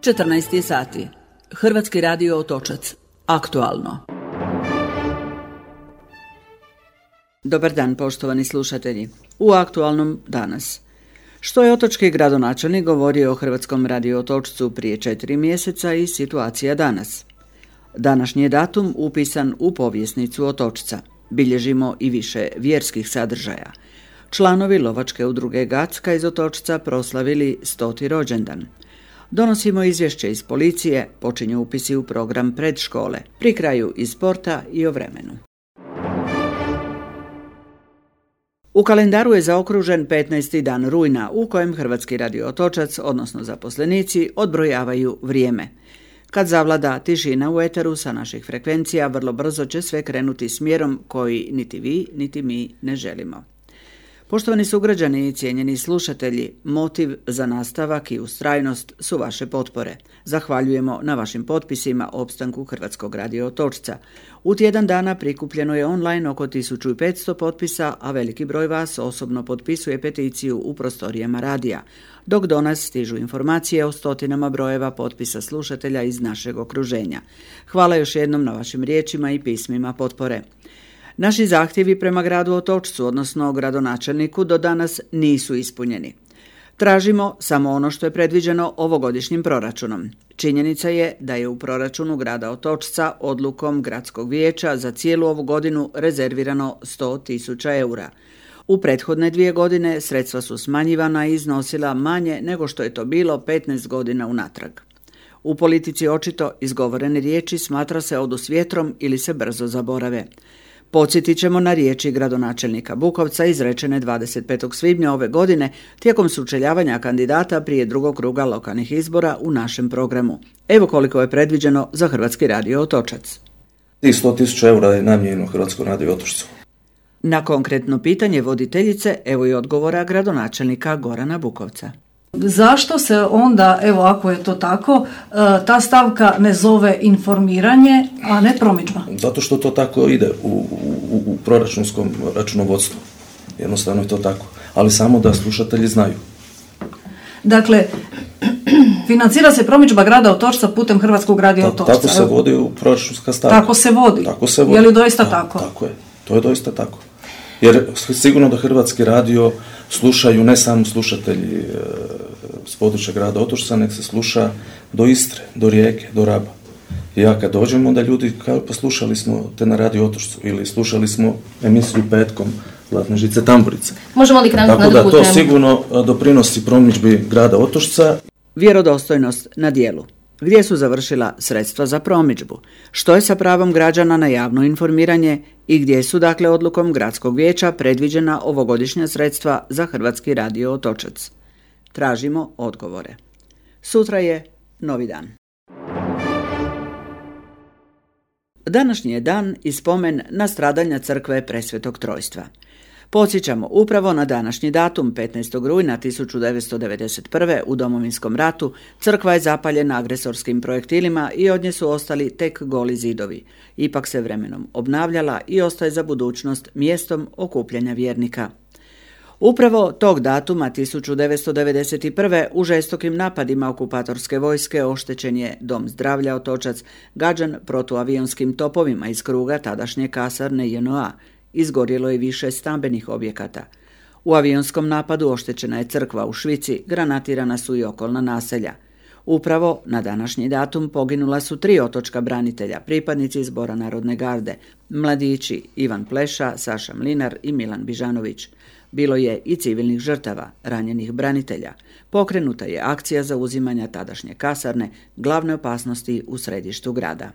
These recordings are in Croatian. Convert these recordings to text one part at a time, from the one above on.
14 sati. Hrvatski radio Otočac. Aktualno. Dobar dan, poštovani slušatelji. U aktualnom danas. Što je otočki gradonačelnik govorio o Hrvatskom radio Otočcu prije 4 mjeseca i situacija danas. Današnji je datum upisan u povjesnicu Otočca. Bilježimo i više vjerskih sadržaja. Članovi lovačke udruge Gacka iz Otočca proslavili 100. rođendan. Donosimo izvješće iz policije, počinju upisi u program predškole, pri kraju iz sporta i o vremenu. U kalendaru je zaokružen 15. dan rujna u kojem Hrvatski radio Otočac, odnosno zaposlenici, odbrojavaju vrijeme. Kad zavlada tišina u eteru sa naših frekvencija, vrlo brzo će sve krenuti smjerom koji niti vi, niti mi ne želimo. Poštovani sugrađani i cijenjeni slušatelji, motiv za nastavak i ustrajnost su vaše potpore. Zahvaljujemo na vašim potpisima o opstanku Hrvatskog radio Otočca. U tjedan dana prikupljeno je online oko 1500 potpisa, a veliki broj vas osobno potpisuje peticiju u prostorijama radija, dok do nas stižu informacije o stotinama brojeva potpisa slušatelja iz našeg okruženja. Hvala još jednom na vašim riječima i pismima potpore. Naši zahtjevi prema gradu Otočcu, odnosno gradonačelniku, do danas nisu ispunjeni. Tražimo samo ono što je predviđeno ovogodišnjim proračunom. Činjenica je da je u proračunu grada Otočca odlukom gradskog vijeća za cijelu ovu godinu rezervirano 100.000 eura. U prethodne 2 godine sredstva su smanjivana i iznosila manje nego što je to bilo 15 godina unatrag. U politici očito izgovorene riječi smatra se odu s vjetrom ili se brzo zaborave. Podsjetit ćemo na riječi gradonačelnika Bukovca izrečene 25. svibnja ove godine tijekom sučeljavanja kandidata prije drugog kruga lokalnih izbora u našem programu. Evo koliko je predviđeno za Hrvatski radio Otočac. 100.000 eura je namijenjeno Hrvatskom radio Otočcu. Na konkretno pitanje voditeljice, evo i odgovora gradonačelnika Gorana Bukovca. Zašto se onda, evo ako je to tako, ta stavka ne zove informiranje, a ne promidžba? Zato što to tako ide u proračunskom računovodstvu. Jednostavno je to tako. Ali samo da slušatelji znaju. Dakle, financira se promidžba grada Otočca putem Hrvatskog radio Otočca. Tako se vodi u proračunska stavka. Tako se vodi. Je li doista tako? Tako je. To je doista tako. Jer sigurno da Hrvatski radio slušaju ne samo slušatelji s područja grada Otočca, nek se sluša do Istre, do Rijeke, do Raba. I ja kad dođem, onda ljudi kao pa slušali smo te na radio Otočcu ili slušali smo emisiju petkom Zlatne žice tamburice. Možemo li krenuti na drugu temu? Tako da to sigurno doprinosi promidžbi grada Otočca. Vjerodostojnost na djelu. Gdje su završila sredstva za promidžbu? Što je sa pravom građana na javno informiranje i gdje su dakle odlukom gradskog vijeća predviđena ovogodišnja sredstva za Hrvatski radio Otočac? Tražimo odgovore. Sutra je novi dan. Današnji je dan i spomen na stradanja crkve Presvetog Trojstva. Podsjećamo, upravo na današnji datum, 15. rujna 1991. u Domovinskom ratu, crkva je zapaljena agresorskim projektilima i od nje su ostali tek goli zidovi. Ipak se vremenom obnavljala i ostaje za budućnost mjestom okupljanja vjernika. Upravo tog datuma 1991. u žestokim napadima okupatorske vojske oštećen je Dom zdravlja Otočac, gađan protuavionskim topovima iz kruga tadašnje kasarne JNA. Izgorjelo je više stambenih objekata. U avionskom napadu oštećena je crkva u Švici, granatirana su i okolna naselja. Upravo na današnji datum poginula su 3 otočka branitelja, pripadnici Zbora narodne garde, mladići Ivan Pleša, Saša Mlinar i Milan Bižanović. Bilo je i civilnih žrtava, ranjenih branitelja. Pokrenuta je akcija zauzimanja tadašnje kasarne, glavne opasnosti u središtu grada.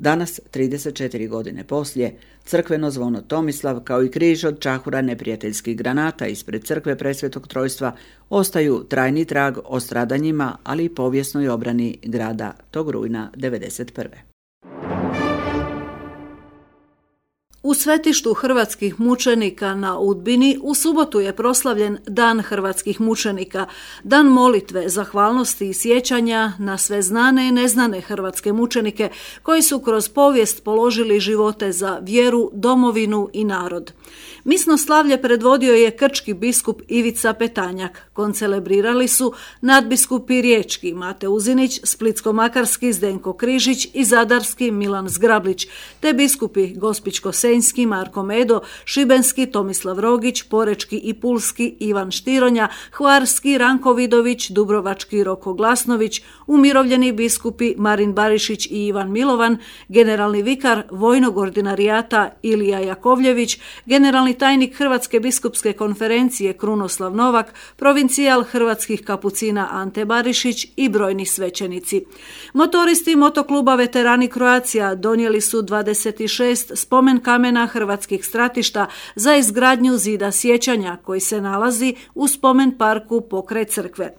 Danas, 34 godine poslije, crkveno zvono Tomislav kao i križ od čahura neprijateljskih granata ispred crkve Presvetog Trojstva ostaju trajni trag o stradanjima, ali i povijesnoj obrani grada tog rujna 1991. U svetištu hrvatskih mučenika na Udbini u subotu je proslavljen Dan hrvatskih mučenika, dan molitve, zahvalnosti i sjećanja na sve znane i neznane hrvatske mučenike koji su kroz povijest položili živote za vjeru, domovinu i narod. Misno slavlje predvodio je krčki biskup Ivica Petanjak. Koncelebrirali su nadbiskupi riječki Mate Uzinić, splitsko-makarski Zdenko Križić i zadarski Milan Zgrablić, te biskupi Gospićko-senjski Marko Medo, šibenski Tomislav Rogić, porečki i pulski Ivan Štironja, hvarski Ranko Vidović, dubrovački Roko Glasnović, umirovljeni biskupi Marin Barišić i Ivan Milovan, generalni vikar vojnog ordinarijata Ilija Jakovljević, generalni tajnik Hrvatske biskupske konferencije Krunoslav Novak, provincijal hrvatskih kapucina Ante Barišić i brojni svećenici. Motoristi motokluba Veterani Croatia donijeli su 26 spomen kamena hrvatskih stratišta za izgradnju zida sjećanja koji se nalazi u spomen parku pokraj crkve.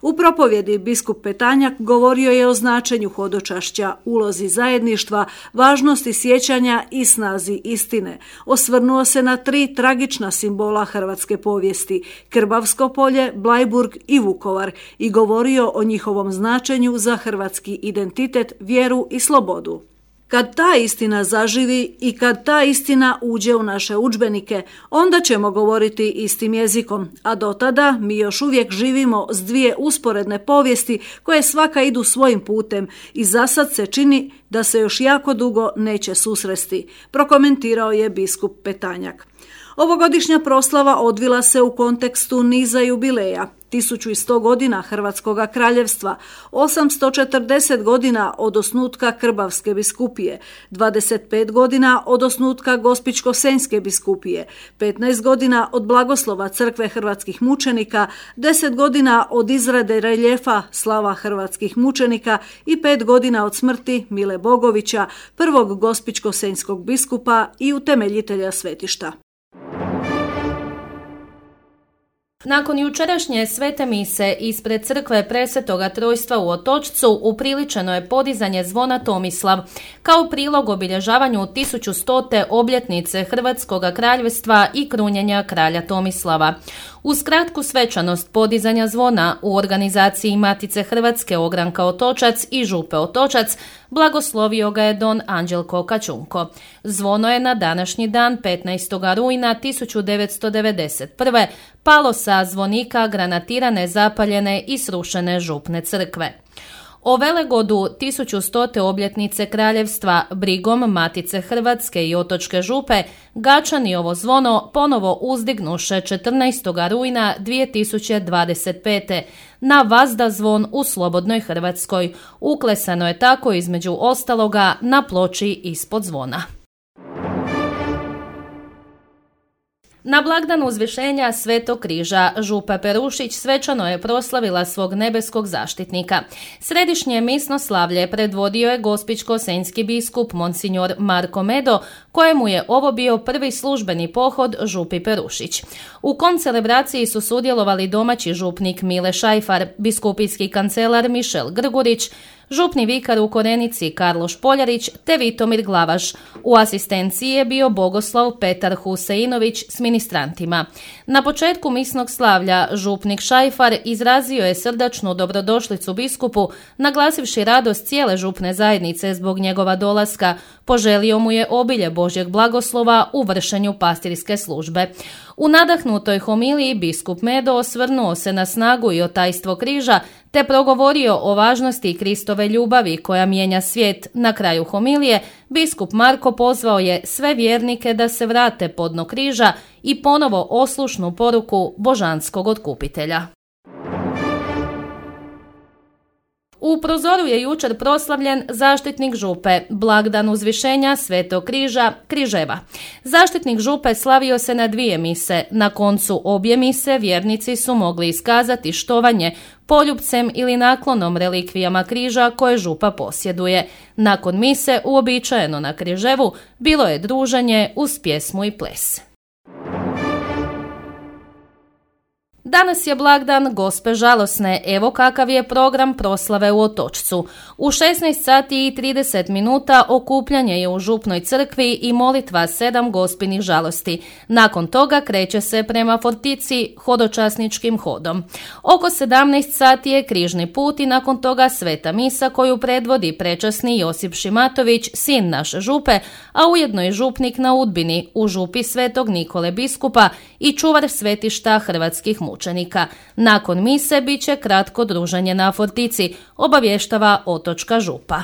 U propovjedi biskup Petanjak govorio je o značenju hodočašća, ulozi zajedništva, važnosti sjećanja i snazi istine. Osvrnuo se na 3 tragična simbola hrvatske povijesti, Krbavsko polje, Bleiburg i Vukovar, i govorio o njihovom značenju za hrvatski identitet, vjeru i slobodu. Kad ta istina zaživi i kad ta istina uđe u naše udžbenike, onda ćemo govoriti istim jezikom, a do tada mi još uvijek živimo s 2 usporedne povijesti koje svaka idu svojim putem i zasad se čini da se još jako dugo neće susresti, prokomentirao je biskup Petanjak. Ovogodišnja proslava odvila se u kontekstu niza jubileja, 1100 godina Hrvatskoga kraljevstva, 840 godina od osnutka Krbavske biskupije, 25 godina od osnutka Gospićko-senjske biskupije, 15 godina od blagoslova crkve hrvatskih mučenika, 10 godina od izrade reljefa slava hrvatskih mučenika i 5 godina od smrti Mile Bogovića, prvog gospićko-senjskog biskupa i utemeljitelja svetišta. Nakon jučerašnje svete mise ispred crkve Presvetoga Trojstva u Otočcu upriličeno je podizanje zvona Tomislav kao prilog obilježavanju 1100. obljetnice Hrvatskoga kraljevstva i krunjenja kralja Tomislava. Uz kratku svečanost podizanja zvona u organizaciji Matice Hrvatske Ogranka Otočac i Župe Otočac blagoslovio ga je don Anđelko Kačunko. Zvono je na današnji dan 15. rujna 1991. palo sa zvonika granatirane, zapaljene i srušene župne crkve. O velegodu 1100. obljetnice kraljevstva brigom Matice Hrvatske i Otočke župe Gačani ovo zvono ponovo uzdignuše 14. rujna 2025. na vazda zvon u slobodnoj Hrvatskoj. Uklesano je tako između ostaloga na ploči ispod zvona. Na blagdan uzvišenja Svetog križa župa Perušić svečano je proslavila svog nebeskog zaštitnika. Središnje misno slavlje predvodio je gospićko-senjski biskup monsignor Marko Medo, kojemu je ovo bio prvi službeni pohod župi Perušić. U koncelebraciji su sudjelovali domaći župnik Mile Šajfar, biskupijski kancelar Mišel Grgurić, župni vikar u Korenici Karlo Špoljarić te Vitomir Glavaš. U asistenciji je bio bogoslov Petar Huseinović s ministrantima. Na početku misnog slavlja župnik Šajfar izrazio je srdačnu dobrodošlicu biskupu, naglasivši radost cijele župne zajednice zbog njegova dolaska. Poželio mu je obilje Božjeg blagoslova u vršenju pastirske službe. U nadahnutoj homiliji biskup Medo osvrnuo se na snagu i otajstvo križa te progovorio o važnosti Kristove ljubavi koja mijenja svijet. Na kraju homilije biskup Marko pozvao je sve vjernike da se vrate pod dno križa i ponovo oslušnu poruku božanskog otkupitelja. U Prozoru je jučer proslavljen zaštitnik župe, blagdan uzvišenja Svetog križa, Križeva. Zaštitnik župe slavio se na 2 mise. Na koncu obje mise vjernici su mogli iskazati štovanje poljupcem ili naklonom relikvijama križa koje župa posjeduje. Nakon mise, uobičajeno na Križevu, bilo je druženje uz pjesmu i ples. Danas je blagdan Gospe žalosne, evo kakav je program proslave u Otočcu. U 16 sati i 30 minuta okupljanje je u Župnoj crkvi i molitva 7 Gospinih žalosti. Nakon toga kreće se prema Fortici hodočasničkim hodom. Oko 17 sati je križni put i nakon toga sveta misa koju predvodi prečasni Josip Šimatović, sin naše župe, a ujedno i župnik na Udbini u župi Svetog Nikole biskupa i čuvar svetišta hrvatskih mučenika. Nakon mise bit će kratko druženje na Fortici, obavještava Otočka župa.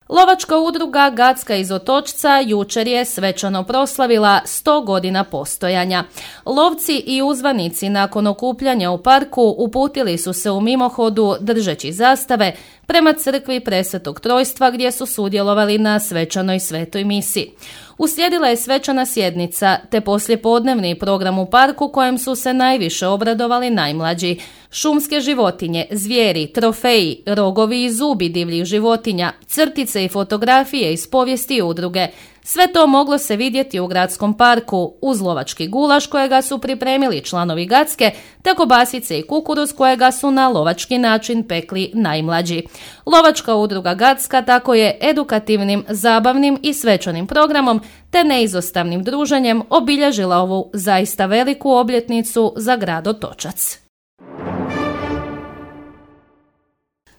Lovačka udruga Gacka iz Otočca jučer je svečano proslavila 100 godina postojanja. Lovci i uzvanici nakon okupljanja u parku uputili su se u mimohodu držeći zastave prema crkvi Presvetog Trojstva gdje su sudjelovali na svečanoj svetoj misi. Uslijedila je svečana sjednica te poslijepodnevni program u parku kojem su se najviše obradovali najmlađi. Šumske životinje, zvijeri, trofeji, rogovi i zubi divljih životinja, crtice i fotografije iz povijesti udruge. Sve to moglo se vidjeti u gradskom parku uz lovački gulaš kojega su pripremili članovi Gacke te kobasice i kukuruz kojega su na lovački način pekli najmlađi. Lovačka udruga Gacka tako je edukativnim, zabavnim i svečanim programom te neizostavnim druženjem obilježila ovu zaista veliku obljetnicu za grad Otočac.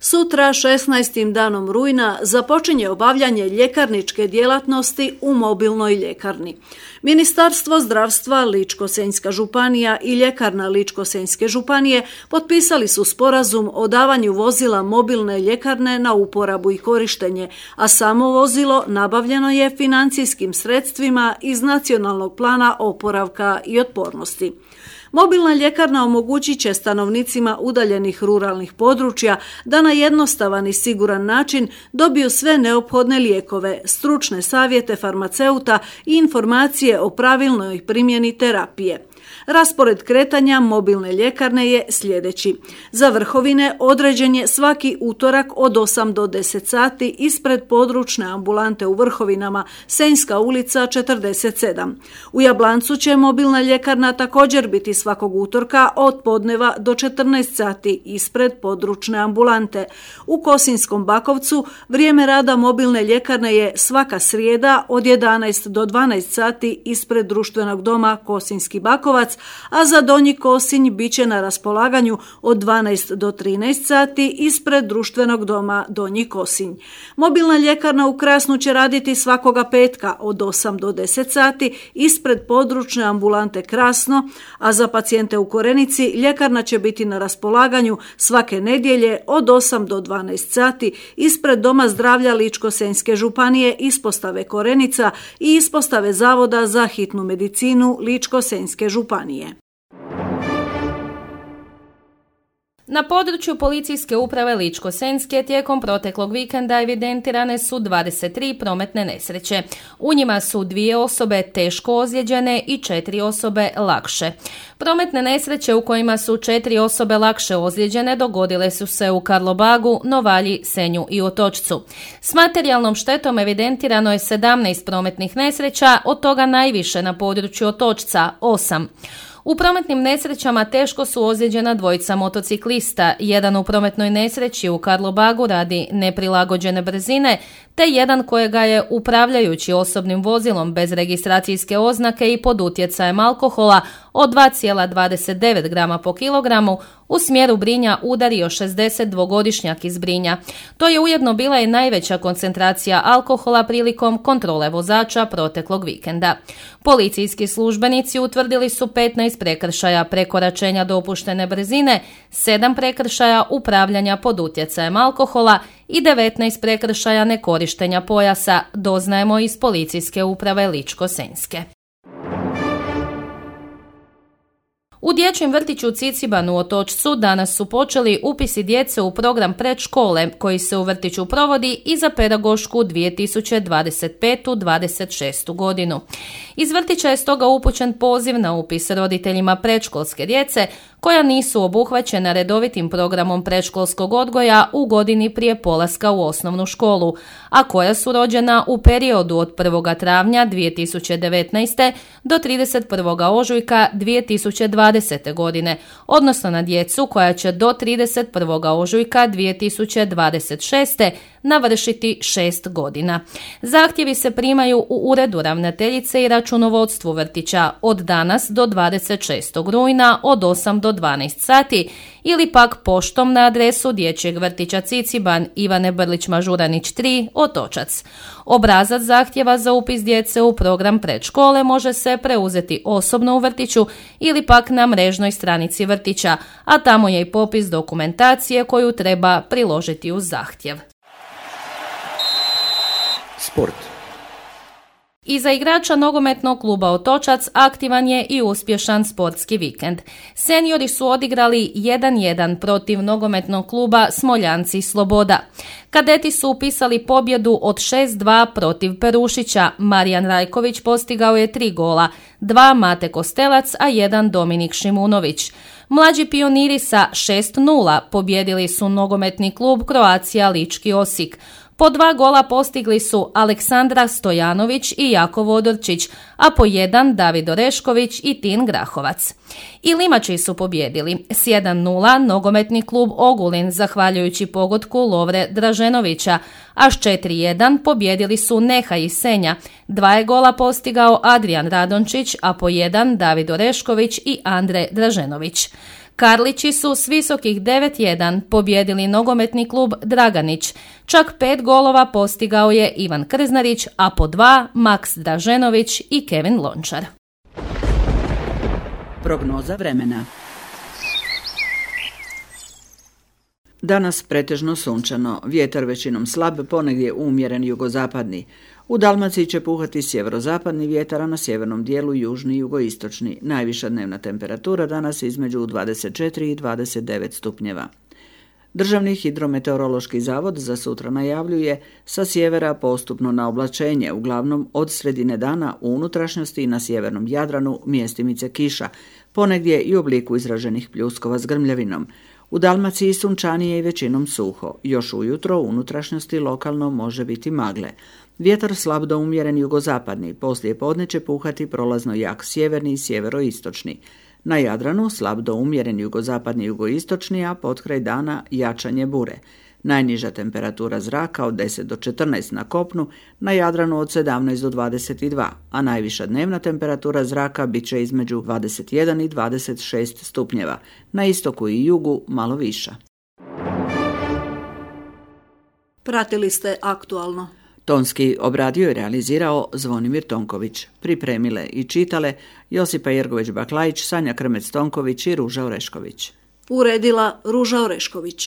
Sutra, 16. danom rujna, započinje obavljanje ljekarničke djelatnosti u mobilnoj ljekarni. Ministarstvo zdravstva, Ličko-senjska županija i ljekarna Ličko-senjske županije potpisali su sporazum o davanju vozila mobilne ljekarne na uporabu i korištenje, a samo vozilo nabavljeno je financijskim sredstvima iz Nacionalnog plana oporavka i otpornosti. Mobilna ljekarna omogućit će stanovnicima udaljenih ruralnih područja da na jednostavan i siguran način dobiju sve neophodne lijekove, stručne savjete farmaceuta i informacije o pravilnoj primjeni terapije. Raspored kretanja mobilne ljekarne je sljedeći. Za Vrhovine određen je svaki utorak od 8 do 10 sati ispred područne ambulante u Vrhovinama, Senjska ulica 47. U Jablancu će mobilna ljekarna također biti svakog utorka od podneva do 14 sati ispred područne ambulante. U Kosinjskom Bakovcu vrijeme rada mobilne ljekarne je svaka srijeda od 11 do 12 sati ispred društvenog doma Kosinjski Bakovac, a za Donji Kosinj bit će na raspolaganju od 12 do 13 sati ispred društvenog doma Donji Kosinj. Mobilna ljekarna u Krasnu će raditi svakoga petka od 8 do 10 sati ispred područne ambulante Krasno, a za pacijente u Korenici ljekarna će biti na raspolaganju svake nedjelje od 8 do 12 sati ispred Doma zdravlja Ličko-senjske županije, ispostave Korenica i ispostave Zavoda za hitnu medicinu Ličko-senjske županije. Na području policijske uprave Ličko-senjske tijekom proteklog vikenda evidentirane su 23 prometne nesreće. U njima su 2 osobe teško ozlijeđene i 4 osobe lakše. Prometne nesreće u kojima su 4 osobe lakše ozlijeđene dogodile su se u Karlobagu, Novalji, Senju i Otočcu. S materijalnom štetom evidentirano je 17 prometnih nesreća, od toga najviše na području Otočca 8. U prometnim nesrećama teško su ozlijeđena 2 motociklista, jedan u prometnoj nesreći u Karlobagu radi neprilagođene brzine, te jedan kojega je upravljajući osobnim vozilom bez registracijske oznake i pod utjecajem alkohola od 2,29 grama po kilogramu u smjeru Brinja udario 62-godišnjak iz Brinja. To je ujedno bila i najveća koncentracija alkohola prilikom kontrole vozača proteklog vikenda. Policijski službenici utvrdili su 15 prekršaja prekoračenja dopuštene brzine, 7 prekršaja upravljanja pod utjecajem alkohola i 19 prekršaja nekorištenja pojasa, doznajemo iz policijske uprave Ličko-senjske. U dječjem vrtiću Ciciban u Otočcu danas su počeli upisi djece u program predškole koji se u vrtiću provodi i za pedagošku 2025-26. godinu. Iz vrtića je stoga upućen poziv na upis roditeljima predškolske djece koja nisu obuhvaćena redovitim programom predškolskog odgoja u godini prije polaska u osnovnu školu, a koja su rođena u periodu od 1. travnja 2019. do 31. ožujka 2020. godine, odnosno na djecu koja će do 31. ožujka 2026. navršiti 6 godina. Zahtjevi se primaju u uredu ravnateljice i računovodstvu vrtića od danas do 26. rujna od 8 do 12 sati ili pak poštom na adresu Dječjeg vrtića Ciciban Ivane Brlić-Mažuranić 3, Otočac. Obrazac zahtjeva za upis djece u program predškole može se preuzeti osobno u vrtiću ili pak na mrežnoj stranici vrtića, a tamo je i popis dokumentacije koju treba priložiti uz zahtjev. Sport. Iza igrača nogometnog kluba Otočac aktivan je i uspješan sportski vikend. Seniori su odigrali 1-1 protiv nogometnog kluba Smoljanci Sloboda. Kadeti su upisali pobjedu od 6-2 protiv Perušića. Marijan Rajković postigao je 3 gola, 2 Mate Kostelac, a 1 Dominik Šimunović. Mlađi pioniri sa 6-0 pobjedili su nogometni klub Croatia Lički Osijek. Po 2 gola postigli su Aleksandra Stojanović i Jako Vodorčić, a po 1 David Orešković i Tin Grahovac. I Limači su pobjedili s 1-0 nogometni klub Ogulin zahvaljujući pogotku Lovre Draženovića, a s 4-1 pobjedili su Neha i Senja. 2 je gola postigao Adrijan Radončić, a po 1 David Orešković i Andre Draženović. Karlići su s visokih 9-1 pobjedili nogometni klub Draganić. Čak 5 golova postigao je Ivan Krznarić, a po 2 Maks Draženović i Kevin Lončar. Prognoza vremena. Danas pretežno sunčano, vjetar većinom slab, ponegdje umjeren jugozapadni. U Dalmaciji će puhati sjeverozapadni vjetar, a na sjevernom dijelu južni i jugoistočni. Najviša dnevna temperatura danas između 24 i 29 stupnjeva. Državni hidrometeorološki zavod za sutra najavljuje sa sjevera postupno na oblačenje, uglavnom od sredine dana u unutrašnjosti i na sjevernom Jadranu mjestimice kiša, ponegdje i u obliku izraženih pljuskova s grmljavinom. U Dalmaciji sunčanije i većinom suho. Još ujutro u unutrašnjosti lokalno može biti magle. Vjetar slab do umjeren jugozapadni, poslije podne će puhati prolazno jak sjeverni i sjeveroistočni. Na Jadranu slab do umjeren jugozapadni i jugoistočni, a potkraj dana jačanje bure. Najniža temperatura zraka od 10 do 14 na kopnu, na Jadranu od 17 do 22, a najviša dnevna temperatura zraka bit će između 21 i 26 stupnjeva, na istoku i jugu malo viša. Pratili ste Aktualno. Tonski obradio i realizirao Zvonimir Tonković. Pripremile i čitale Josipa Jergović-Baklajić, Sanja Krmec-Tonković i Ruža Orešković. Uredila Ruža Orešković.